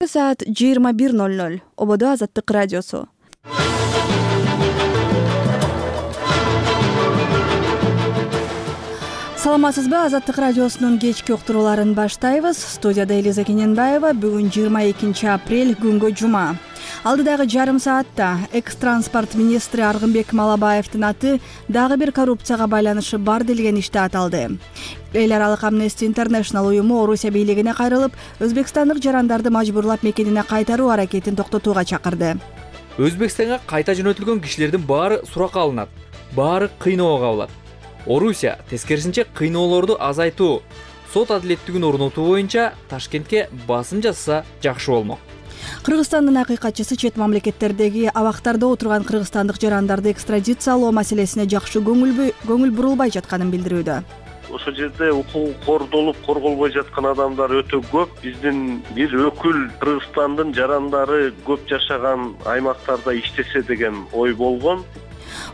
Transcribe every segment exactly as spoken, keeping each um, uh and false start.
Саат жыйырма бир ноль ноль. Ободо Азаттык радиосу. Саламатсызбы? Азаттык радиосунун кечки уктурууларын баштайбыз. Студияда Элиза Кененбаева. Бүгүн жыйырма экинчи апрель, күнгө жума. Алдыдагы жарым саатта экс-транспорт министри Аргынбек Малабаевдин аты дагы бир коррупцияга байланышы бар делген иште аталды. Эл аралык Amnesty International уюму Орусия бийлигине кайрылып, өзбекстандык жарандарды мажбурлап мекенине кайтаруу аракетин токтотууга чакырды. Өзбекстанга кайта жөнөтүлгөн кишилердин баары суракка алынат, баары кыйноого кабылат. Орусия тескерисинче кыйноолорду азайтуу, сот адилеттигин орнотуу боюнча Ташкентке басым жасаса жакшы болмок. Кыргызстандын акыйкатчысы чет мамлекеттердеги абактарда отурган кыргызстандык жарандарды экстрадициялоо маселесине жакшы көңүл бурулбай жатканын билдирүүдө. Ошол жерде укугу кордолуп, корголбой жаткан адамдар өтө көп. Биздин бир өкүл Кыргызстандын жарандары көп жашаган аймактарда иштесе деген ой болгон.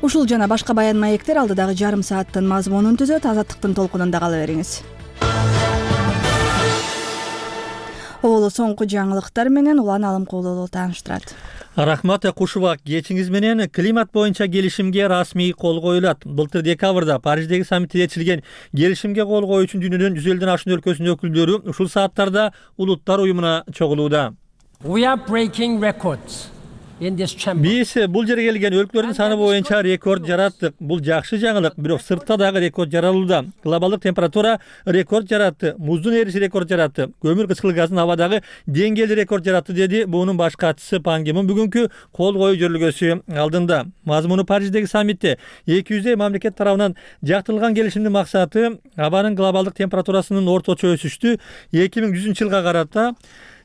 Ушул жана башка баян маектер алдыдагы жарым сааттын мазмунун түзөт. Азаттыктын толкунунда кала бериңиз. Оолу соңку жаңылыктар менен Улан Алымкулуу тааныштырат. Рахмат Кушуба, кечиңиз менен климат боюнча келишимге расмий кол коюлат. Былтыр декабрда Париждеги саммитте чечилген келишимге кол коюу үчүн дүйнөнүн жүз элүүдөн ашуун өлкөсүнүн өкүлдөрү ушул сааттарда Улуттар уюмуна чогулууда. We are breaking records. Биз бул жерге келген өлкөлөрдүн саны боюнча рекорд жараттык. Бул жакшы жаңылык, бирок сыртта дагы рекорд жаралууда. Глобалдык температура рекорд жаратты, муздун эриси рекорд жаратты, көмүр кычкыл газынын абадагы деңгээли рекорд жаратты, деди буунун баш катчысы Пан Ги Мун бүгүнкү кол коюу жөрөлгөсү алдында. Мазмуну Париждеги саммитте эки жүздөй мамлекет тарабынан жактырылган келишимдин максаты абанын глобалдык температурасынын орточо өсүштү эки миң жүзүнчү жылга карата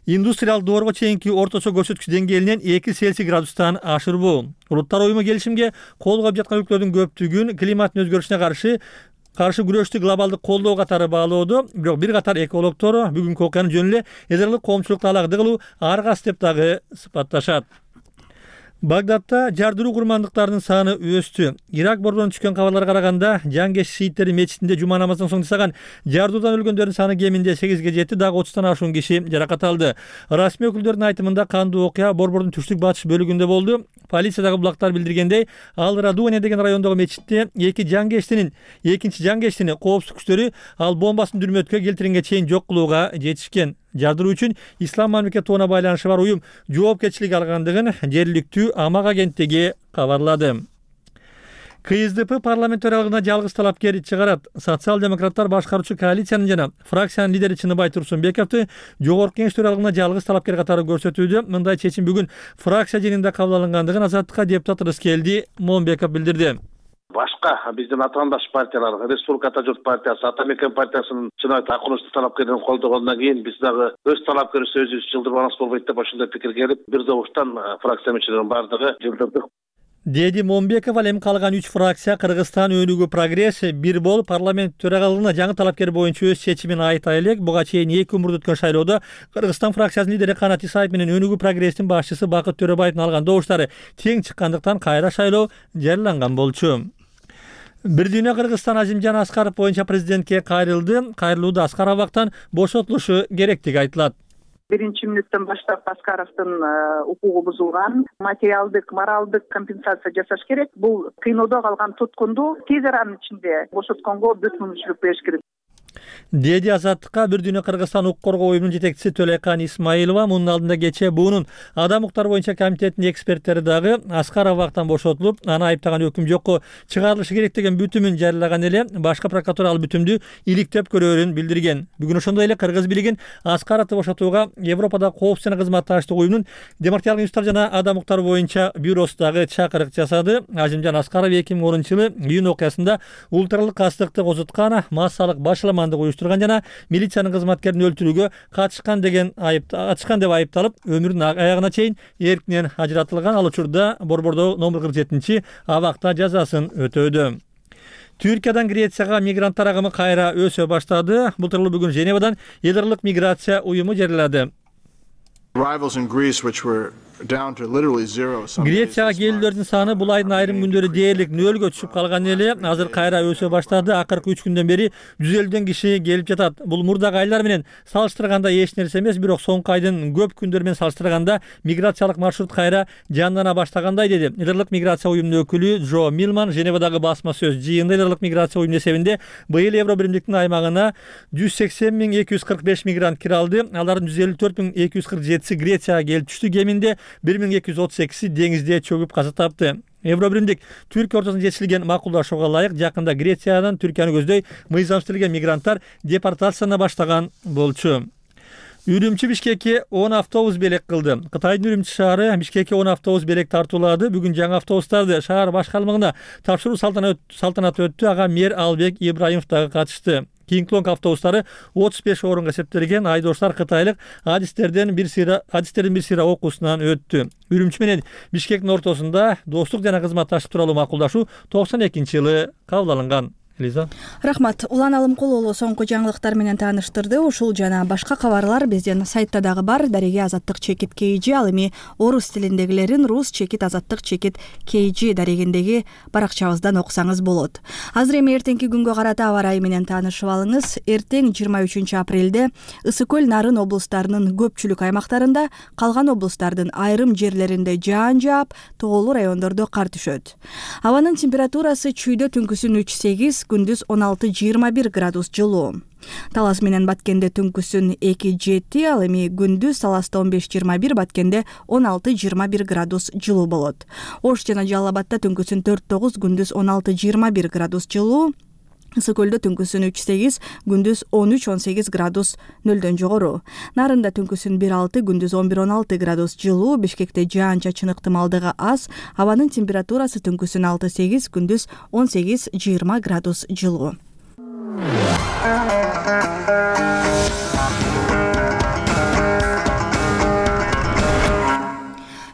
индустриалдык доорго чейинки орточо көрсөткүч деңгээлинен эки Цельсий градустан ашырбоо. Улуттар уюму келишимге кол коюп жаткан өлкөлөрдүн көптүгүн климаттын өзгөрүшүнө каршы каршы күрөштү глобалдык колдоо катары баалоодо, бирок бир катар экологдор бүгүнкү окуяны жөн эле эс эр элдик коомчулукта алагды кылуу аргас деп дагы сыпатташат. Багдадта жардыруу курмандыктарынын саны өстү. Ирак борборунан түшкөн кабарларга караганда, Жангеш шииттери мечитинде жума намазынан соң жасаган жардыруудан өлгөндөрдүн саны кеминде сегизге жетти, дагы отуздан ашуун киши жаракат алды. Расмий өкүлдөрдүн айтымында кандуу окуя борбордун түштүк батыш бөлүгүндө болду. Полициядагы булактар билдиргендей, Ал Радуане деген райондогу мечитте эки жангештинин, экинчи жангештини коопсуздук күчтөрү ал бомбасын дүрмөткө келтиренге чейин жок кылууга жетишкен. Жардыруу үчүн Ислам мамлекет тобуна байланышы бар уюм жоопкерчилик алгандыгын жергиликтүү Амак агенттиги кабарлады. Ка эс дэ пэ парламент төрагалыгына жалгыз талапкер чыгарат. Социал-демократтар башкаруучу коалициянын жана фракциянын лидери Чыныбай Турсунбековду жогорку кеңеш төрагалыгына жалгыз талапкер катары көрсөтүүдө. Мындай чечим бүгүн фракция жыйынында кабыл алынгандыгын Азаттыкка депутат Рыскелди Момбеков билдирди. Башка биздин атаандаш партиялар, Республика Ата журт партиясы, Ата мекен партиясынын чынайы такынычтуу талапкерлерин колдогондон кийин биз дагы өз талапкерибизди өзүбүз жылдырбаныбыз болбойт деп ошондой пикирге келип, бир добуштан фракция мүчөлөрүнүн бардыгы жылдырдык. Деди Момбеков. Ал эми калган үч фракция Кыргызстан өнүгүү прогресс бир бол парламент төрагалыгына жаңы талапкер боюнча өз чечимин айта элек. Буга чейин эки умурда өткөн шайлоодо Кыргызстан фракциясынын лидери Канат Исаев менен өнүгүү прогресстин башчысы Бакыт Төрөбаевдин алган добуштары тең чыккандыктан кайра шайлоо жарыяланган болчу. Бир дүйнө Кыргызстан Азимжан Аскаров боюнча президентке кайрылды. Кайрылууда Аскаровдон бошотулушу керектиги айтылат. Биринчи мүнөттөн баштап Аскаровдун укугу бузулган, материалдык, моралдык компенсация жасаш керек. Бул кыйноодо калган туткунду тез аранын ичинде бошотконго бүт мүмкүнчүлүк бериш керек. Деди Азаттыкка бир дүйнө Кыргызстан укук коргоо уюмунун жетекчиси Төлөйкан Исмаилова. Мунун алдында кечээ буунун адам укуктары боюнча комитетинин эксперттери дагы Аскаров абактан бошотулуп, аны айыптаган өкүм жокко чыгарылышы керек деген бүтүмүн жарыялаган эле. Башка прокуратура ал бүтүмдү иликтеп көрөөрүн билдирген. Бүгүн ошондой эле Кыргыз бийлигин Аскаровду бошотууга Европада коопсуз жана кызматташтык уюмунун демократиялык институттар жана адам укуктары боюнча бюросу дагы чакырык жасады. Азимжан Аскаров эки миң онунчу жылы июнь окуясында улуттаралык кастыкты козуткан, массалык башаламандык уюштурган жана милициянын кызматкерин өлтүрүүгө катышкан деген айып ачкан деп айыпталып, өмүрүнүн аягына чейин эркинен ажыратылган. Ал учурда борбордо номер кырк жетинчи абакта жазасын өтөөдө. Түркиядан Грецияга мигранттар агымы кайра өсө баштады. Былтыр бүгүн Женевадан эл аралык миграция уюму жарыялады. Грецияга келүүлөрдүн саны бул айдын айрым күндөрү дээрлик нөлгө түшүп калган эле азыр кайра өсө баштады. Акыркы үч күндөн бери жүз элүүдөн киши келип жатат. Бул мурдагы айлар менен салыштырганда эч нерсе эмес, бирок соңку айдын көп күндөрү менен салыштырганда миграциялык маршрут кайра жандана баштагандай деди Идрлык миграция уюмунун өкүлү Джо Милман Женевадагы басма сөз жыйында. Идрлык миграция уюму эсебинде быйыл Евро биримдиктин аймагына жүз сексен миң эки жүз кырк беш мигрант кире алды. Алардын жүз элүү төрт миң эки жүз кырк жетиси Грецияга келип түштү. Кеминде бир миң эки жүз отуз экиси деңизде чөгүп каза тапты. Евро биримдик Түркия ортосунда жетишилген макулдашууга ылайык жакында Грециядан Түркияны көздөй мыйзамсыздырылган мигранттар депортациялана баштаган болчу. Үрүмчү Бишкекке он автобус белек кылды. Кытайдын Үрүмчү шаары Бишкекке он автобус белек тартуулады. Бүгүн жаңы автобустарды шаар башкармалыгына тапшыруу салтанаты өттү. Ага мэр Албек Ибраимов дагы катышты. Кинг-Лонг автобустары отуз беш орунга эсептелген. Айдоочулар кытайлык адистерден бир сыйра адистердин бир сыйра окуусунан өттү. Үрүмчү менен Бишкектин ортосунда достук жана кызматташтык тууралуу макулдашуу токсон экинчи жылы кабыл алынган. Элиза. Рахмат. Улан Алымкулуулу соңку жаңылыктар менен тааныштырды. Ушул жана башка кабарлар биздин сайтта дагы бар. Дареге азаттык чекит kg, ал эми орус тилиндегилерин рус чекит азаттык чекит kg дарегиндеги баракчабыздан окусаңыз болот. Азыр эми эртеңки күнгө карата аба ырайы менен таанышып алыңыз. Эртең жыйырма үчүнчү апрелде Ысык көл, Нарын облустарынын көпчүлүк аймактарында, калган облустардын айрым жерлеринде жаан жаап, тоолуу райондордо кар түшөт. Абанын температурасы чүйдө түнкүсүн үч сегиз, күндүз он алты жыйырма бир градус жылуу. Талас менен Баткенде түнкүсүн эки жети, ал эми күндүз Таласта он беш жыйырма бир, Баткенде он алты жыйырма бир градус жылуу болот. Ош жана Жалал Абадта түнкүсүн төрт тогуз, күндүз он алты жыйырма бир градус жылуу. Ысык көлдө түнкүсүн үч сегиз, күндүз он үч он сегиз градус нөлдөн жогору. Нарында түнкүсүн бир алты, күндүз он бир он алты градус жылуу. Бишкекте жаан-чачын ыктымалдыгы аз. Абанын температурасы түнкүсүн алты сегиз, күндүз он сегиз жыйырма градус жылуу.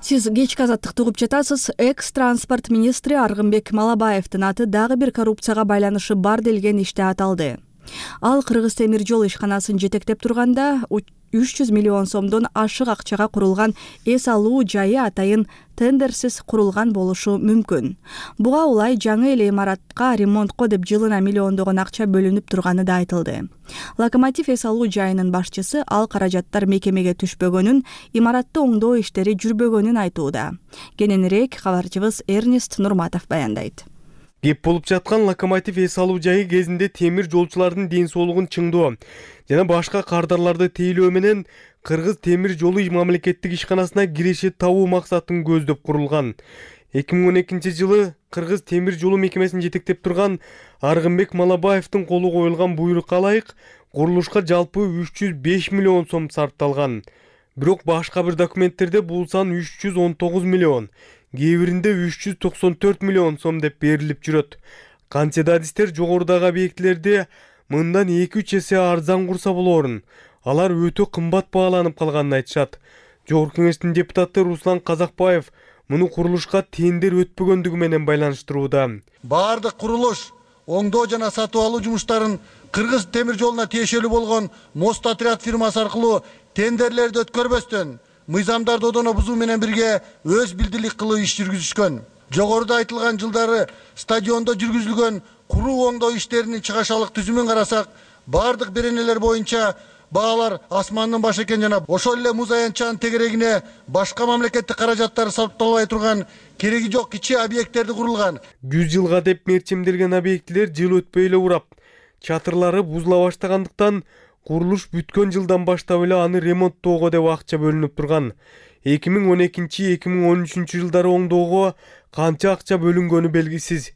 Сиз кечки азаттыкты угуп жатасыз. Экс-транспорт министри Аргынбек Малабаевдин аты дагы бир коррупцияга байланышы бар делген иште аталды. Ал Кыргыз темир жол ишканасын жетектеп турганда үч жүз миллион сомдон ашык акчага курулган эс алуу жайы атайын тендерсиз курулган болушу мүмкүн. Буга улай жаңы эле имаратка ремонтко деп жылына миллиондогон акча бөлүнүп турганы да айтылды. Локомотив эс алуу жайынын башчысы ал каражаттар мекемеге түшпөгөнүн, имаратты оңдоо иштери жүрбөгөнүн айтууда. Кененирээк кабарчыбыз Эрнест Нурматов баяндайт. Кеп болуп жаткан локомотив эс алуу жайы кезинде темир жолчулардын ден соолугун чыңдоо жана башка кардарларды тейлөө менен Кыргыз темир жолу мамлекеттик ишканасына киреше табуу максатын көздөп курулган. эки миң он экинчи жылы Кыргыз темир жолу мекемесин жетектеп турган Аргынбек Малабаевдин колу коюлган буйрукка ылайык курулушка жалпы үч жүз беш миллион сом сарпталган. Бирок башка бир документтерде бул сан үч жүз он тогуз миллион, кээ биринде үч жүз токсон төрт миллион сом деп берилип жүрөт. Канча да адистер жогорудагы объектилерде мындан эки үч эсе арзан курса болорун, алар өтө кымбат бааланып калганын айтышат. Жогорку кеңештин депутаты Руслан Казакбаев муну курулушка тендер өтпөгөндүгү менен байланыштырууда. Баардык курулуш, оңдоо жана сатып алуу жумуштарын Кыргыз темир жолуна тиешелүү болгон Мост отряд фирмасы аркылуу тендерлерди өткөрбөстөн мыйзамдарды одоно бузуу менен бирге өз билдилик кылуу иш жүргүзүшкөн. Жогоруда айтылган жылдары стадиондо жүргүзүлгөн куруу оңдоо иштеринин чыгашалык түзүмүн карасак, баардык беренелер боюнча баалар асмандын башы экен жана ошол эле муз аянтчанын тегерегине башка мамлекеттик каражаттар сарпталбай турган кереги жок кичи объекттерди курулган. жүз жылга деп мерчимделген объектилер жыл өтпөй эле урап, чатырлары бузула баштагандыктан курулуш бүткөн жылдан баштап эле аны ремонттоого деп акча бөлүнүп турган. эки миң он экинчи эки миң он үчүнчү жылдары оңдоого канча акча бөлүнгөнү белгисиз.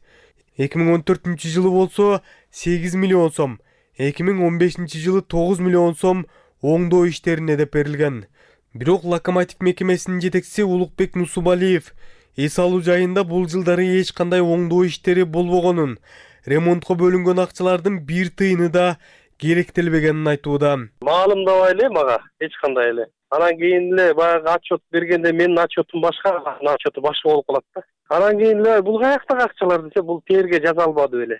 эки миң он төртүнчү жылы болсо сегиз миллион сом, эки миң он бешинчи жылы тогуз миллион сом оңдоо иштерине деп берилген. Бирок локомотив мекемесинин жетекчиси Улукбек Нусубалиев эс алуу жайында бул жылдары эч кандай оңдоо иштери болбогонун, ремонтко бөлүнгөн акчалардын бир тыйыны да керектелбегенин айтууда. Маалымдабай эле мага эч кандай эле. Анан кийин эле баягы отчет бергенде менин отчетум башка, анын отчету башка болуп калат да. Анан кийин эле бул каяктагы акчалар десе, бул терге жаза албады беле.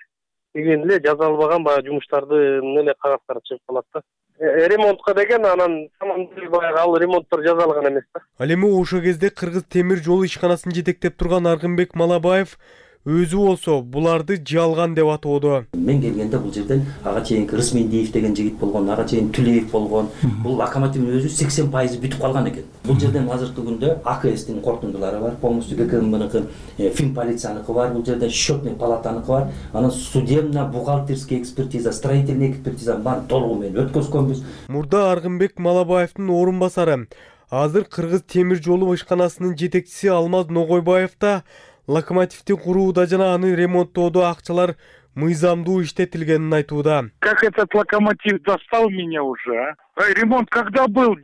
Кийин эле жаза албаган баягы жумуштардын эле кагаздары чыгып калат да. ремонтко деген анан баягы ал ремонттор жасалган эмес да. Ал эми ошол кезде Кыргыз темир жолу ишканасын жетектеп турган Аргынбек Малабаев өзү болсо буларды жалган деп атоодо. Мен келгенде бул жерден ага чейин Рысмендиев деген жигит болгон, ага чейин Түлеев болгон. Бул локомотивдин өзү сексен пайызы бүтүп калган экен. Бул жерден азыркы күндө А К Стин корутундулары бар, полностью Г К Мныкы, Фин полицияныкы бар, бул жерде счетный палатаныкы бар. Анан судебно бухгалтерский экспертиза, строительный экспертиза бар толугу менен өткөзгөнбүз. Мурда Аргынбек Малабаевдин орун басары, азыр Кыргыз темир жолу ишканасынын жетекчиси Алмаз Ногойбаев да локомотивди курууда жана аны ремонттоодо акчалар мыйзамдуу иштетилгенин айтууда. Как этот локомотив достал меня уже, а? Ремонт когда был?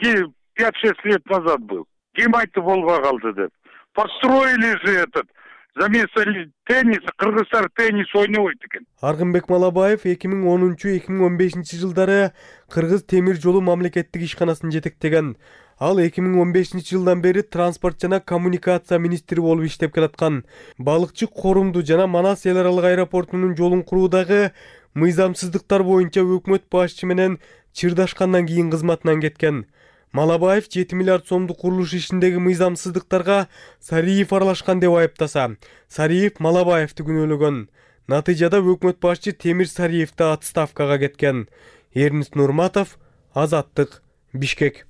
пять-шесть лет назад был. Ким айтып болбой калды деп. Построили же этот, за место тенниса, Кыргызстар теннис ойнобойт экен. Аргынбек Малабаев эки миң онунчу эки миң он бешинчи жылдары Кыргыз темир жолу мамлекеттик ишканасын жетектеген. Ал эки миң он бешинчи жылдан бери транспорт жана коммуникация министри болуп иштеп келаткан. Балыкчы Корумду жана Манас эл аралык аэропортунун жолун куруудагы мыйзамсыздыктар боюнча өкмөт башчы менен чырдашкандан кийин кызматынан кеткен. Малабаев жети миллиард сомдук курулуш ишиндеги мыйзамсыздыктарга Сариев аралашкан деп айыптаса, Сариев Малабаевди күнөөлөгөн. Натыйжада өкмөт башчы Темир Сариевди отставкага кеткен. Эрнис Нурматов, Азаттык, Бишкек.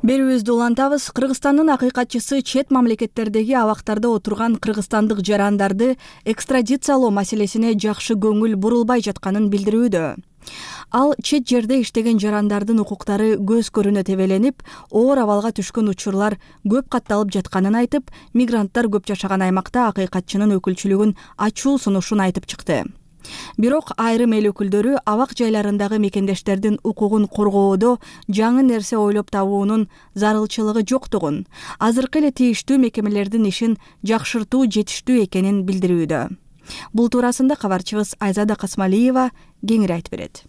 Берүүбүздү улантабыз. Кыргызстандын акыйкатчысы чет мамлекеттердеги абактарда отурган кыргызстандык жарандарды экстрадициялоо маселесине жакшы көңүл бурулбай жатканын билдирүүдө. Ал чет жерде иштеген жарандардын укуктары көз көрүнө тебеленип, оор абалга түшкөн учурлар көп катталып жатканын айтып, мигранттар көп жашаган аймакта акыйкатчынын өкүлчүлүгүн ачуу сунушун айтып чыкты. Бирок айрым эл өкүлдөрү абак жайларындагы мекендештердин укугун коргоодо жаңы нерсе ойлоп табуунун зарылчылыгы жоктугун, азыркы эле тийиштүү мекемелердин ишин жакшыртуу жетиштүү экенин билдирүүдө. Бул туурасында кабарчыбыз Айзада Касмалиева кеңири айтып берет.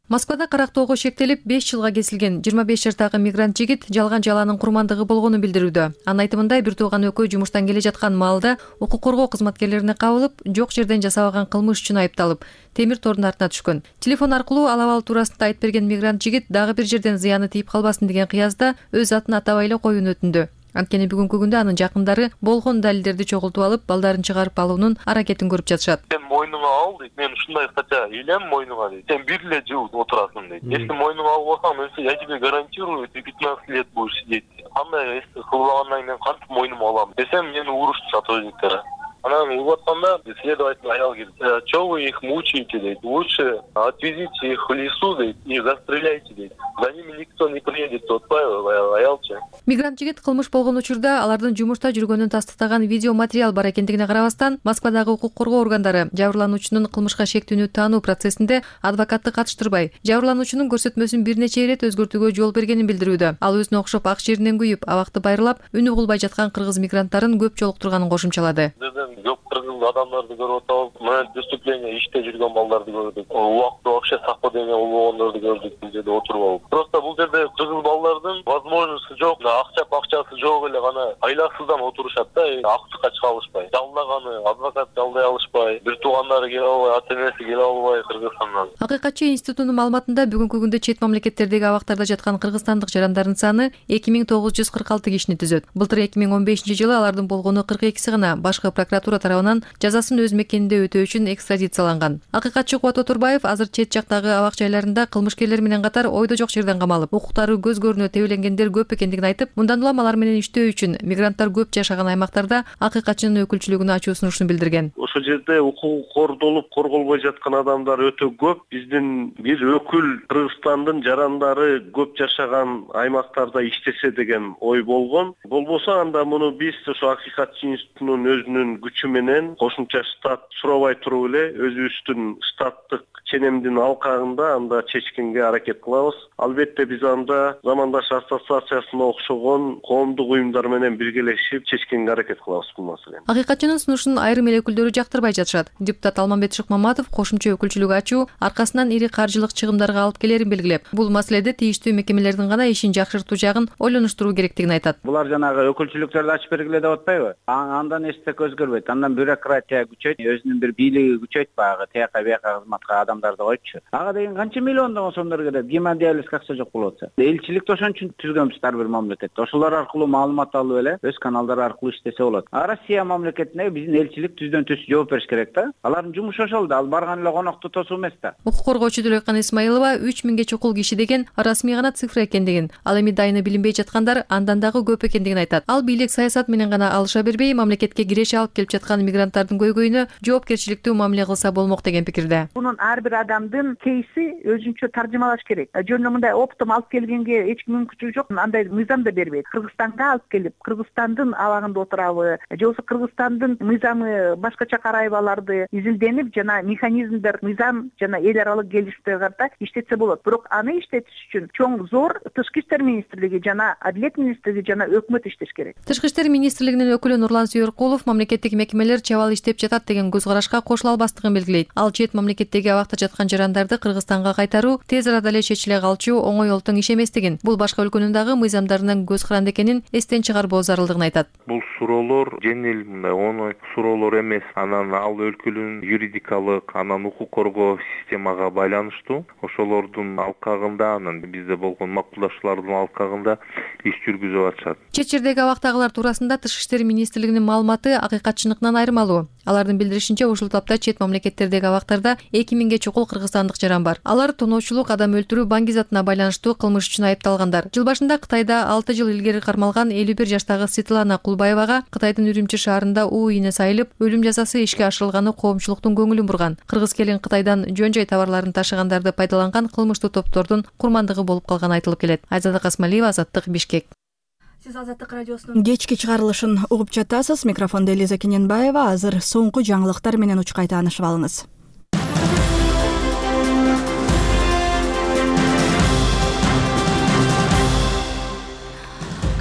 Москвада карактоого шектелип беш жылга кесилген жыйырма беш жаштагы мигрант жигит жалган жалаанын курмандыгы болгонун билдирүүдө. Анын айтымында бир тууган өкөө жумуштан келе жаткан маалда укук коргоо кызматкерлерине кабылып, жок жерден жасабаган кылмыш үчүн айыпталып, темир тордун артына түшкөн. Телефон аркылуу ал абал туурасында айтып берген мигрант жигит дагы бир жерден зыяны тийип калбасын деген кыязда өз атын атабай эле коюуну өтүндү. Анткени бүгүнкү күндө анын жакындары болгон далилдерди чогултуп алып, балдарын чыгарып алуунун аракетин көрүп жатышат. Сен мойнуңа ал дейт, мен ушундай кача илем мойнуңа дейт. Сен бир эле жыл отурасың дейт. Если мойнуңа албасаң, мен я тебе гарантирую, ты пятнадцать лет будешь сидеть. Кандай эсти кылбагандан кийин кантип мойнума алам десем, мени урушты сотрудниктер. Анан угуп атканда следователь аял келип, "Чё вы их мучаете?" дейт. "Лучше отвезите их в лесу дейт и застреляйте дейт. За ними никто не приедет", деп атпайбы аялчы. Мигрант жигит кылмыш болгон учурда алардын жумушта жүргөнүн тастыктаган видео материал бар экендигине карабастан, Москвадагы укук коргоо органдары жабырлануучунун кылмышка шектүүнү таануу процессинде адвокатты катыштырбай, жабырлануучунун көрсөтмөсүн бир нече ирет өзгөртүүгө жол бергенин билдирүүдө. Ал өзүнө окшоп ак жеринен күйүп, абакты байрылап, үнү угулбай жаткан кыргыз мигранттарын көп жолуктурганын кошумчалады. Көп кыргыз адамдарды көрүп атабыз. Мен преступление иште жүргөн балдарды көрдүк. Убакты вообще совпадение болгондорду көрдүк бул жерде отуруп алып. Просто бул жерде кыргыз балдардын возможности жок, акча акчасы жок эле гана айласыздан отурушат да, актыкка чыга алышпай. Жалдаганы адвокат жалдай алышпай, бир туугандары келе албай, ата энеси келе албай Кыргызстандан. Акыйкатчы институтунун маалыматында бүгүнкү күндө чет мамлекеттердеги абактарда жаткан кыргызстандык жарандардын саны эки миң тогуз жүз кырк алты кишини түзөт. Былтыр эки миң он бешинчи жылы алардын болгону кырк экиси гана башкы прокуратура тарабынан жазасын өз мекенинде өтөө үчүн экстрадицияланган. Акыйкатчы Кубат Отурбаев азыр чет жактагы абак жайларында кылмышкерлер менен катар ойдо жок жерден камалып, укуктары көз көрүнө тебеленгендер көп экендигин айтып, мындан улам алар менен иштөө үчүн мигранттар көп жашаган аймактарда акыйкатчынын өкүлчүлүгүнө ачуу сунушун билдирген. Ошол жерде укугу кордолуп, корголбой жаткан адамдар өтө көп. Биздин бир өкүл Кыргызстандын жарандары көп жашаган аймактарда иштесе деген ой болгон. Болбосо анда муну биз ошо акыйкатчы институтунун өзүнүн күчү менен кошумча штат сурабай туруп эле өзүбүздүн штаттык ченемдин алкагында анда чечкенге аракет кылабыз. Албетте биз анда замандаш ассоциациясына окшогон коомдук уюмдар менен биргелешип чечкенге аракет кылабыз бул маселени. Акыйкатчынын сунушун айрым эл өкүлдөрү жактырбай жатышат. Депутат депутат Алмамбет Шыкмаматов кошумча өкүлчүлүк ачуу аркасынан ири каржылык чыгымдарга алып келерин белгилеп, бул маселеде тийиштүү мекемелердин гана ишин жакшыртуу жагын ойлонуштуруу керектигин айтат. Булар жанагы өкүлчүлүктөрдү ачып бергиле деп атпайбы? Андан эч нерсе өзгөрбөйт. Андан бюрократия күчөйт, өзүнүн бир бийлиги күчөйт, баягы тияка бияка кызматка адамдарды койчу. Ага деген канча миллиондон сомдор кетет, гемодиализге акча жок болуп атса. Элчиликти ошон үчүн түзгөнбүз ар бир мамлекетте. Ошолор аркылуу маалымат алып эле өз каналдары аркылуу иштесе болот. А Россия мамлекетине биздин элчилик түздөн түз жооп бериш керек да. Алардын жумушу ошол да, ал барган эле конокто тосуу эмес да. Укук коргоочу Дөлөккан Исмаилова үч миңге чукул киши деген расмий гана цифра экендигин, ал эми дайыны билинбей жаткандар андан дагы көп экендигин айтат. Ал бийлик саясат менен гана алыша бербей, мамлекетке киреше алып келип жаткан мигранттардын көйгөйүнө жоопкерчиликтүү мамиле кылса болмок деген пикирде. Мунун ар бир адамдын кейси өзүнчө таржымалаш керек. Жөн эле мындай оптом алып келгенге эч ким мүмкүнчүлүгү жок. Андай мыйзам да бербейт. Кыргызстанга алып келип, Кыргызстандын абагында отурабы, же болбосо Кыргызстандын мыйзамы башкача карайбы аларды изилденип, жана механизмдер, мыйзам жана эл аралык келишимдерге карата иштетсе болот. Бирок аны иштетиш үчүн чоң зор Тышкы иштер министрлиги жана Адилет министрлиги жана өкмөт иштеш керек. Тышкы иштер министрлигинин өкүлү Нурлан Сүйөркулов мамлекеттик мекемелер чабал иштеп жатат деген көз карашка кошула албастыгын белгилейт. Ал чет мамлекеттеги абакта жаткан жарандарды Кыргызстанга кайтаруу тез арада эле чечиле калчу оңой олтоң иш эместигин, бул башка өлкөнүн дагы мыйзамдарынан көз каранды экенин эстен чыгарбоо зарылдыгын айтат. Бул суроолор жеңил, мындай оңой суроолор эмес. Анан ал өлкөнүн юридикалык, анан укук коргоо системага байланыштуу. Ошолордун алкагында, анан бизде болгон макулдашуулардын алкагында иш жүргүзүп атышат. Чет жердеги абактагылар туурасында Тышкы иштер министрлигинин маалыматы акыйкатчылыгынан айырмалуу. Алардын билдиришинче, ушул тапта чет мамлекеттердеги абактарда эки миңге чукул кыргызстандык жаран бар. Алар тоноочулук, адам өлтүрүү, баңгизатына байланыштуу кылмыш үчүн айыпталгандар. Жыл башында Кытайда алты жыл илгери кармалган элүү бир жаштагы Светлана Кулбаевага Кытайдын Үрүмчү шаарында уу ийне сайылып, өлүм жазасы ишке ашырылганы коомчулуктун көңүлүн бурган. Кыргыз келин Кытайдан жөн-жой товарларын ташыгандарды пайдаланган кылмыштуу топтордун курмандыгы болуп калганы айтылып келет. Айзада Касмалиева, Азаттык, Бишкек. Сиз Азаттык радиосунун кечки чыгарылышын угуп жатасыз. Микрофондо Элиза Кененбаева. Азыр соңку жаңылыктар менен учкай таанышып алыңыз.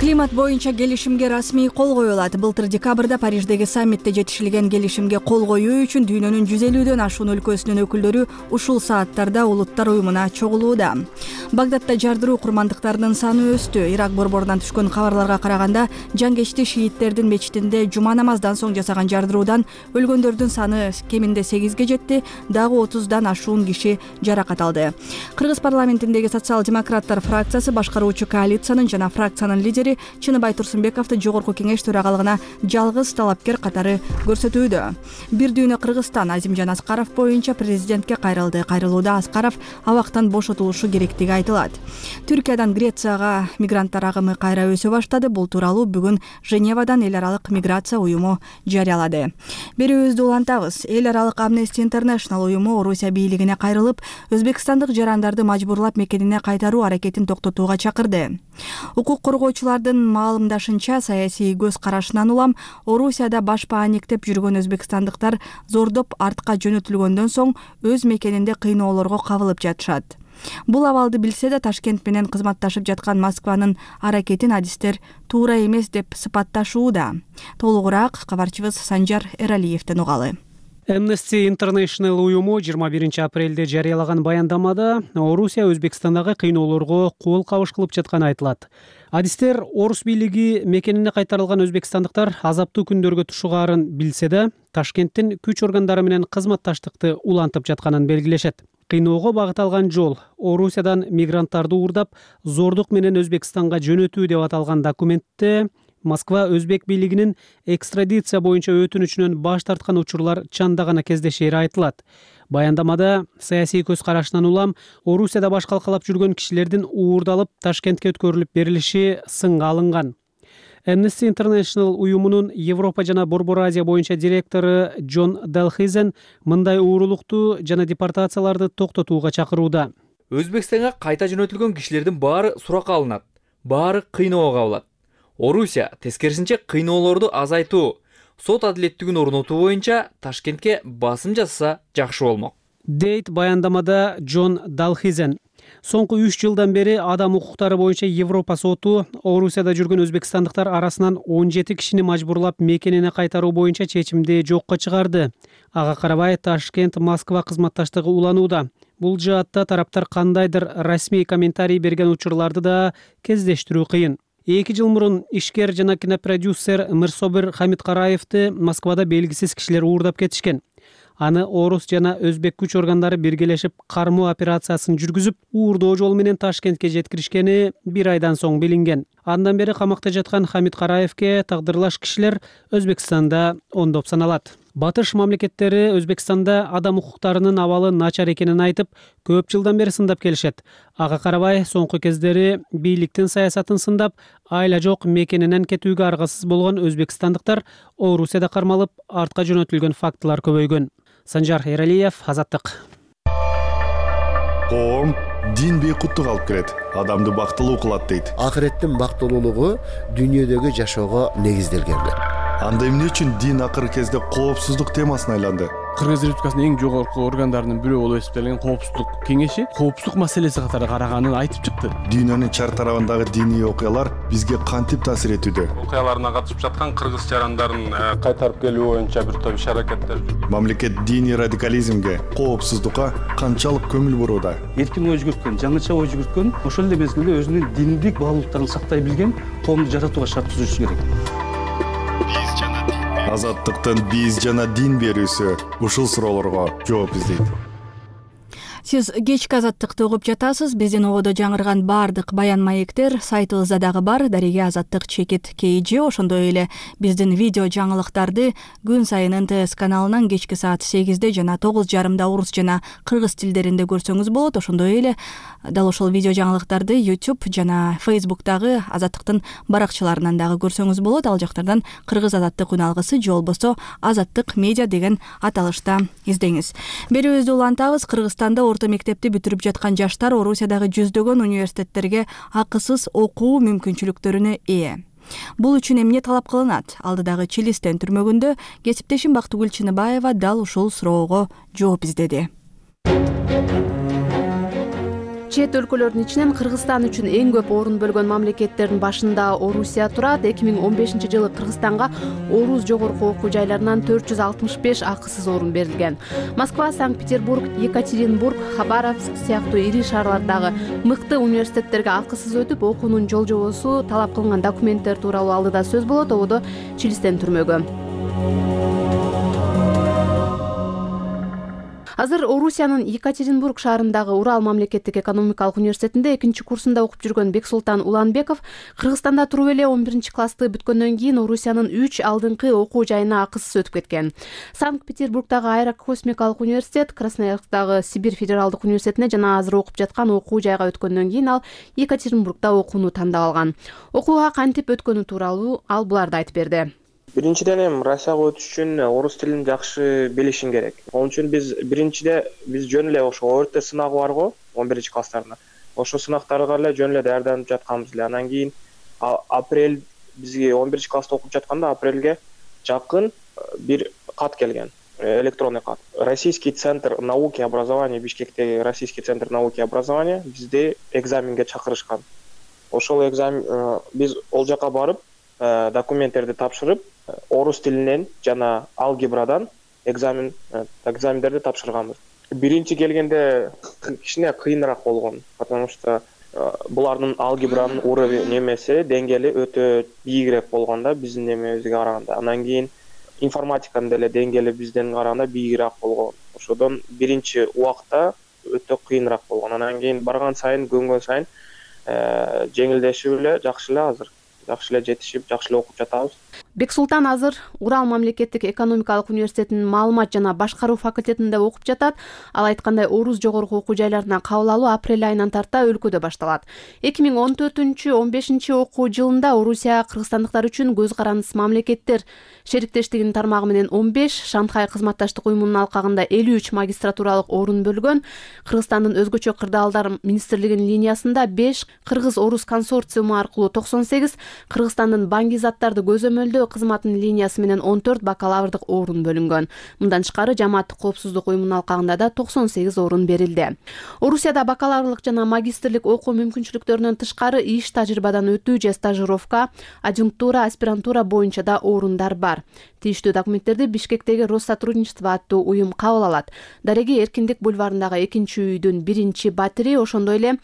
Климат боюнча келишимге расмий кол коюлат. Былтыр декабрда Париждеги саммитте жетишилген келишимге кол коюу үчүн дүйнөнүн жүз элүүдөн ашуун өлкөсүнүн өкүлдөрү ушул сааттарда Улуттар уюмуна чогулууда. Багдадда жардыруу курмандыктарынын саны өстү. Ирак борборунан түшкөн кабарларга караганда, жангечти шииттердин мечитинде жума намаздан соң жасаган жардыруудан өлгөндөрдүн саны кеминде сегизге жетти, дагы отуздан ашуун киши жаракат алды. Кыргыз парламентиндеги социал-демократтар фракциясы башкаруучу коалициянын жана фракциянын лидери Чыныбай Турсунбековду жогорку кеңеш төрагалыгына жалгыз талапкер катары көрсөтүүдө. Бир дүйнө Кыргызстан Азимжан Аскаров боюнча президентке кайрылды. Кайрылууда Аскаров абактан бошотулушу керектиги айтылат. Түркиядан Грецияга мигранттар агымы кайра өсө баштады. Бул тууралуу бүгүн Женевадан эл аралык миграция уюму жарыялады. Берүүбүздү улантабыз. Эл аралык Amnesty International уюму Орусия бийлигине кайрылып, өзбекстандык жарандарды мажбурлап мекенине кайтаруу аракетин токтотууга чакырды. Укук коргоочулардын маалымдашынча, саясий көз карашынан улам Орусияда башпа аниктеп жүргөн өзбекстандыктар зордоп артка жөнөтүлгөндөн соң өз мекенинде кыйноолорго кабылып жатышат. Бул абалды билсе да Ташкент менен кызматташып жаткан Москванын аракетин адистер туура эмес деп сыпатташууда. Толугураак кабарчыбыз Санжар Эралиевден угалы. Amnesty International уюму жыйырма биринчи апрелде жарыялаган баяндамада Орусия Өзбекстандагы кыйноолорго кол кабыш кылып жатканы айтылат. Адистер орус бийлиги мекенине кайтарылган өзбекстандыктар азаптуу күндөргө тушугаарын билсе да, Ташкенттин күч органдары менен кызматташтыкты улантып жатканын белгилешет. Кыйноого багыт алган жол Орусиядан мигранттарды уурдап, зордук менен Өзбекстанга жөнөтүү деп аталган документте Москва өзбек бийлигинин экстрадиция боюнча өтүнүчүнөн баш тарткан учурлар чандагана кездешери айтылат. Баяндамада саясий көз карашынан улам Орусияда баш калкалап жүргөн кишилердин уурдалып Ташкентке өткөрүлүп берилиши сынга алынган. Amnesty International уюмунун Европа жана Борбор Азия боюнча директору Джон Далхизен мындай уурулукту жана депортацияларды токтотууга чакырууда. Өзбекстанга кайта жөнөтүлгөн кишилердин баары суракка алынат, баары кыйноого кабылат. Орусия тескерисинче кыйноолорду азайтуу, сот адилеттигин орнотуу боюнча Ташкентке басым жасаса жакшы болмок. Дейт баяндамада Джон Далхизен. Соңку үч жылдан бери адам укуктары боюнча Европа соту Орусияда жүргөн өзбекстандыктар арасынан он жети кишини мажбурлап мекенине кайтаруу боюнча чечимди жокко чыгарды. Ага карабай Ташкент Москва кызматташтыгы уланууда. Бул жаатта тараптар кандайдыр расмий комментарий берген учурларды да кездештирүү кыйын. Эки жыл мурун ишкер жана кинопродюсер Мирсобир Хамидкараевди Москвада белгисиз кишилер уурдап кетишкен. Аны орус жана өзбек күч органдары биргелешип кармоо операциясын жүргүзүп, уурдоо жол менен Ташкентке жеткиришкени бир айдан соң билинген. Андан бери камакта жаткан Хамидкараевге тагдырлаш кишилер Өзбекстанда ондоп саналат. Батыш мамлекеттери Өзбекстанда адам укуктарынын абалы начар экенин айтып, көп жылдан бери сындап келишет. Ага карабай соңку кездери бийликтин саясатын сындап, айла жок мекенинен кетүүгө аргасыз болгон өзбекстандыктар Орусияда кармалып, артка жөнөтүлгөн фактылар көбөйгөн. Санжар Эралиев, Азаттык. Коом дин бейкуттук алып келет, адамды бактылуу кылат дейт. Акыреттин бактылуулугу дүйнөдөгү жашоого негизделген. Анда эмне үчүн дин акыркы кезде коопсуздук темасына айланды? Кыргыз Республикасынын эң жогорку органдарынын бирөө болуп эсептелген коопсуздук кеңеши коопсуздук маселеси катары караганын айтып чыкты. Дүйнөнүн чар тарабындагы диний окуялар бизге кантип таасир этүүдө? Окуяларына катышып жаткан кыргыз жарандарын кайтарып келүү боюнча бир топ иш-аракеттер. Мамлекет диний радикализмге, коопсуздукка канчалык көңүл бурууда? Эркин ой жүгүрткөн, жаңыча ой жүгүрткөн, ошол эле мезгилде өзүнүн диндик баалуулуктарын сактай билген коомду жаратууга шарт түзүш керек. Азаттыктын биз жана дин берүүсү ушул суроолорго жооп издейт. Сиз кечки Азаттыкты угуп жатасыз. Биздин ободо жаңырган баардык баян маектер сайтыбызда дагы бар. Дареге Азаттык чекит kg. Ошондой эле биздин видео жаңылыктарды күн сайын эн тэ эс каналынан кечки саат сегизде жана тогуз жарымда орус жана кыргыз тилдеринде көрсөңүз болот. Ошондой эле дал ошол видео жаңылыктарды YouTube жана Facebook'тагы Азаттыктын баракчаларынан дагы көрсөңүз болот. Ал жактардан Кыргыз Азаттык үн алгысы же болбосо Азаттык медиа деген аталышта издеңиз. Берүүбүздү улантабыз. Кыргызстанда орто мектепти бүтүрүп жаткан жаштар Орусиядагы жүздөгөн университеттерге акысыз окуу мүмкүнчүлүктөрүнө ээ. Бул үчүн эмне талап кылынат? Алдыдагы Чилистен түрмөгүндө кесиптешим Бактыгүл Чыныбаева дал ушул суроого жооп издеди. Чет өлкөлөрдүн ичинен Кыргызстан үчүн эң көп орун бөлгөн мамлекеттердин башында Орусия турат. эки миң он бешинчи жылы Кыргызстанга орус жогорку окуу жайларынан төрт жүз алтымыш беш акысыз орун берилген. Москва, Санкт-Петербург, Екатеринбург, Хабаровск сыяктуу ири шаарлардагы мыкты университеттерге акысыз өтүп, окуунун жол жобосу, талап кылынган документтер тууралуу алдыда сөз болот. Ободо Чилистен түрмөгө. Азыр Орусиянын Екатеринбург шаарындагы Урал мамлекеттик экономикалык университетинде экинчи курсунда окуп жүргөн Бексултан Уланбеков Кыргызстанда туруп эле он биринчи классты бүткөндөн кийин Орусиянын үч алдыңкы окуу жайына акысыз өтүп кеткен. Санкт-Петербургдагы Аэрокосмикалык университет, Красноярскдагы Сибирь федералдык университетине жана азыр окуп жаткан окуу жайга өткөндөн кийин ал Екатеринбургда окууну тандап алган. Окууга кантип өткөнү тууралуу ал буларды айтып берди. Биринчиден эми Россияга өтүш үчүн орус тилин жакшы билишиң керек. Onun үчүн биз биринчиде биз жөн эле ошо о эр тэ сынагы бар го, он биринчи класстарына. Ошо сынактарга эле жөн эле даярданып жатканбыз эле. Андан кийин апрель бизге он биринчи класста окуп жатканда апрелге жакын бир кат келген. Электронный кат. Российский центр науки и образования, Бишкектеги Российский центр науки и образования бизди экзаменге чакырышкан. Ошол экзамен биз ол жака барып, документтерди тапшырып, орус тилинен жана алгебрадан экзамен экзамендерди тапшырганбыз. Биринчи келгенде кичине кыйыныраак болгон, потому что булардын алгебранын уровень немеси, деңгээли өтө бийигирээк болгон да биздин немебизге караганда. Андан кийин информатиканын деле деңгээли бизден караганда бийигирээк болгон. Ошодон биринчи убакта өтө кыйыныраак болгон. Андан кийин барган сайын, көнгөн сайын жеңилдешип эле, жакшы эле азыр. Жакшы эле жетишип, жакшы эле окуп жатабыз. Бексултан азыр Урал мамлекеттик экономикалык университетинин маалымат жана башкаруу факультетинде окуп жатат. Ал айткандай, орус жогорку окуу жайларына кабыл алуу апрель айынан тарта өлкөдө башталат. эки миң он төртүнчү он бешинчи окуу жылында Орусия кыргызстандыктар үчүн көз карандысыз мамлекеттер шериктештигинин тармагы менен он беш, Шанхай кызматташтык уюмунун алкагында элүү үч магистратуралык орун бөлгөн. Кыргызстандын өзгөчө кырдаалдар министрлигинин линиясында беш, Кыргыз-Орус консорциуму аркылуу токсон сегиз, Кыргызстандын Баңги заттарды көзөмөлдөө өтүү кызматынын линиясы менен он төрт бакалаврдык орун бөлүнгөн. Мындан тышкары Жамааттык коопсуздук уюмунун алкагында да токсон сегиз орун берилди. Орусияда бакалаврлык жана магистрлик окуу мүмкүнчүлүктөрүнөн тышкары иш тажрыйбадан өтүү же стажировка, адъюнктура, аспирантура боюнча да орундар бар. Тийиштүү документтерди Бишкектеги Россотрудничество аттуу уюм кабыл алат. Дареги Эркиндик бульварындагы экинчи үйдүн биринчи батири, ошондой эле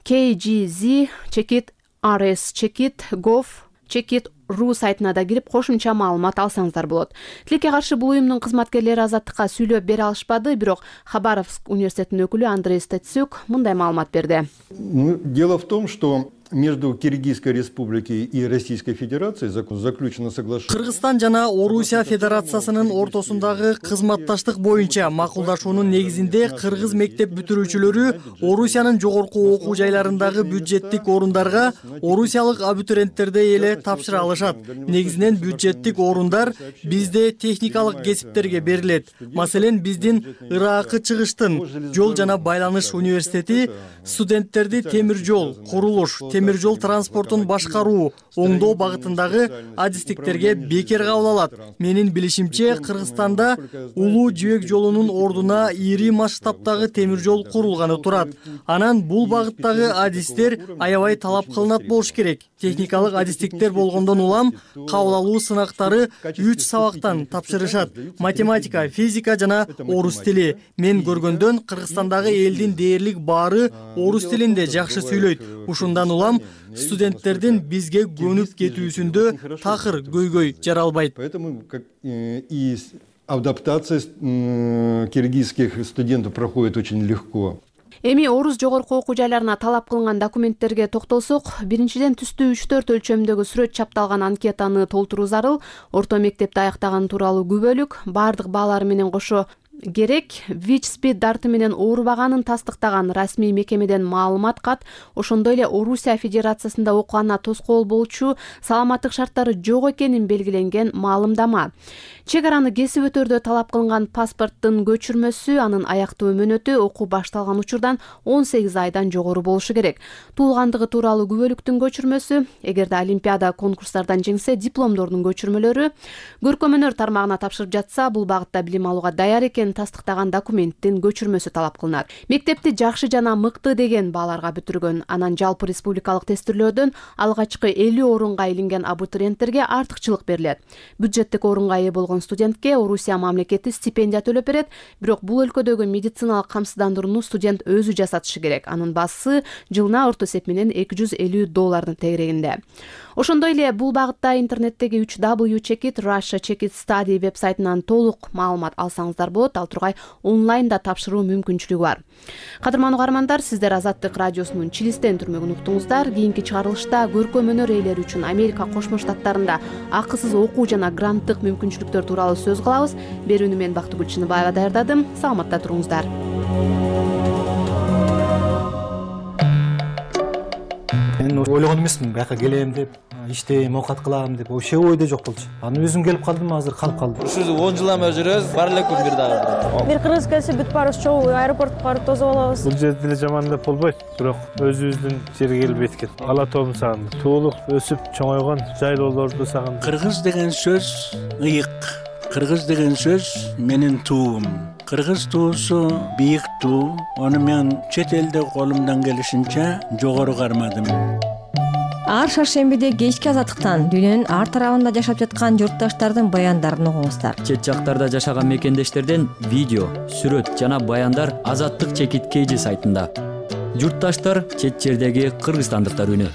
кей джи зет чекит ар эс чекит gov чекит ру сайтына да кирип кошумча маалымат алсаңыздар болот. Тилекке каршы бул уюмдун кызматкерлери Азаттыкка сүйлөп бере алышпады, бирок Хабаровск университетинин өкүлү Андрей Стецюк мындай маалымат берди. Дело в том, что между Киргизской республикой и Российской Федерацией заключено соглашение. Кыргызстан жана Орусия Федерациясынын ортосундагы кызматташтык боюнча макулдашуунун негизинде кыргыз мектеп бүтүрүүчүлөрү Орусиянын жогорку окуу жайларындагы бюджеттик орундарга орусиялык абитуриенттердей эле тапшыра алышат. Негизинен бюджеттик орундар бизде техникалык кесиптерге берилет. Маселен, биздин Ыракы чыгыштын жол жана байланыш университети студенттерди темир жол, курулуш, темир жол транспортун башкаруу, оңдоо багытындагы адистиктерге бекер кабыл алат. Менин билишимче, Кыргызстанда улуу жибек жолунун ордуна ири масштабтагы темир жол курулганы турат. Анан бул багыттагы адистер аябай талап кылынат болуш керек. Техникалык адистиктер болгондон улам кабыл алуу сынактары үч сабактан тапшырышат: математика, физика жана орус тили. Мен көргөндөн Кыргызстандагы элдин дээрлик баары орус тилинде жакшы сүйлөйт. Ушундан улам студенттердин бизге көнүп кетүүсүндө такыр көйгөй жаралбайт. Поэтому и адаптация киргизских студентов проходит очень легко. Эми орус жогорку окуу жайларына талап кылынган документтерге токтолсок, биринчиден түстүү үч төрт өлчөмдөгү сүрөт чапталган анкетаны толтуруу зарыл. Орто мектепти аяктаган тууралуу күбөлүк, баардык баалары менен кошо керек, ВИЧ-СПИД дарты менен оорубаганын тастыктаган расмий мекемеден маалымат кат, ошондой эле Орусия Федерациясында окуганына тоскоол болчу саламаттык шарттары жок экенин белгиленген маалымдама. Чек араны кесип өтөрдө талап кылынган паспорттун көчүрмөсү, анын аяктуу мөөнөтү окуу башталган учурдан он сегиз айдан жогору болушу керек. Туулгандыгы тууралуу күбөлүктүн көчүрмөсү, эгерде олимпиада, конкурстардан жеңсе, дипломдордун көчүрмөлөрү, көркөмөнөр тармагына тапшырып жатса, бул багытта билим алууга даяр экенин тастыктаган документтин көчүрмөсү талап кылынат. Мектепти жакшы жана мыкты деген бааларга бүтүргөн, анан жалпы республикалык тестирлөөдөн алгачкы элүү орунга илинген абитуриенттерге артыкчылык берилет. Бюджеттик орунга ээ болгон студентке Орусия мамлекети стипендия төлөп берет, бирок бул өлкөдөгү медициналык камсыздандырууну студент өзү жасатышы керек. Анын баасы жылына орто эсеп менен эки жүз элүү доллардын тегерегинде. Ошондой эле бул багытта интернеттеги үч дабл ю чекит Russia Chekit Study веб-сайтынан толук маалымат алсаңыздар болот. Ал тургай онлайнда тапшыруу мүмкүнчүлүгү бар. Кадырман угармандар, сиздер Азаттык радиосунун Чилистен түрмөгүн уктуңуздар. Кийинки чыгарылышта көркөмөнөр ээлери үчүн Америка Кошмо Штаттарында акысыз окуу жана гранттык мүмкүнчүлүктөр тууралуу сөз кылабыз. Берүүнү мен Бактыгүл Чыныбаева даярдадым. Саламатта туруңуздар. Мен ойлогон эмесмин, бияка келем деп, иштейм, оокат кылам деп, вообще ойдо жок болчу. Анан өзүм келип калдым, азыр калып калдым. Ушул он жылдан бери жүрөбүз, бар эле күн бир дагы. Бир кыргыз келсе бүт баарыбыз чогуу аэропортко барып тосуп алабыз. Бул жерде деле жаман деп болбойт, бирок өзүбүздүн жерге келип эткен. Ала тоомду сагындым. Туулуп, өсүп, чоңойгон жайлоолорду сагындым. Кыргыз деген сөз ыйык. Кыргыз деген сөз менин туум. Кыргыз туусу бийик туу. Аны мен чет элде колумдан келишинче жогору кармадым. Ар шаршембиде кечки Азаттыктан дүйнөнүн ар тарабында жашап жаткан журтташтардын баяндарын угуңуздар. Чет жактарда жашаган мекендештерден видео, сүрөт жана баяндар Азаттык Чекит кей джи сайтында. Журтташтар чет жердеги кыргызстандыктар үнү.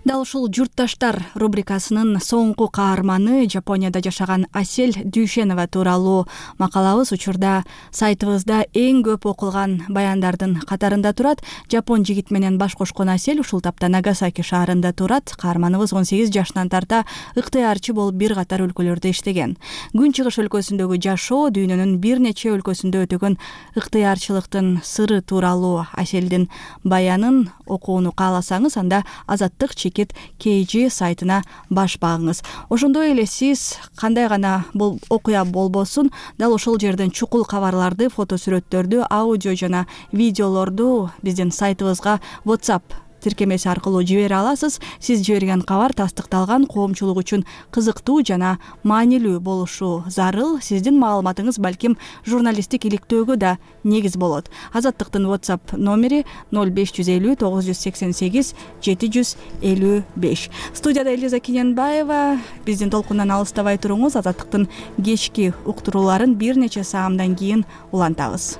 Дал ушул журтташтар рубрикасынын соңку каарманы Жапонияда жашаган Асель Дүйшенова тууралуу макалабыз учурда сайтыбызда эң көп окулган баяндардын катарында турат. Жапон жигит менен баш кошкон Асель ушул тапта Нагасаки шаарында турат. Каарманыбыз он сегиз жашынан тарта ыктыярчы болуп бир катар өлкөлөрдө иштеген. Күн чыгыш өлкөсүндөгү жашоо, дүйнөнүн бир нече өлкөсүндө өтөгөн ыктыярчылыктын сыры тууралуу Аселдин баянын окууну кааласаңыз, анда Азаттык Чекит кей джи сайтына баш багыңыз. Ошондой эле сиз кандай гана бул окуя болбосун, дал ошол жерден чукул кабарларды, фото сүрөттөрдү, аудио жана видеолорду биздин сайтыбызга WhatsApp тиркемеси аркылуу жибере аласыз. Сиз жиберген кабар тастыкталган, коомчулук үчүн кызыктуу жана маанилүү болушу зарыл. Сиздин маалыматыңыз балким журналисттик иликтөөгө да негиз болот. Азаттыктын WhatsApp номери ноль беш жүз элүү тогуз жүз сексен сегиз жети жүз элүү беш. Студияда Элиза Кененбаева. Биздин толкундан алыстабай туруңуз. Азаттыктын кечки уктурууларын бир нече саамдан кийин улантабыз.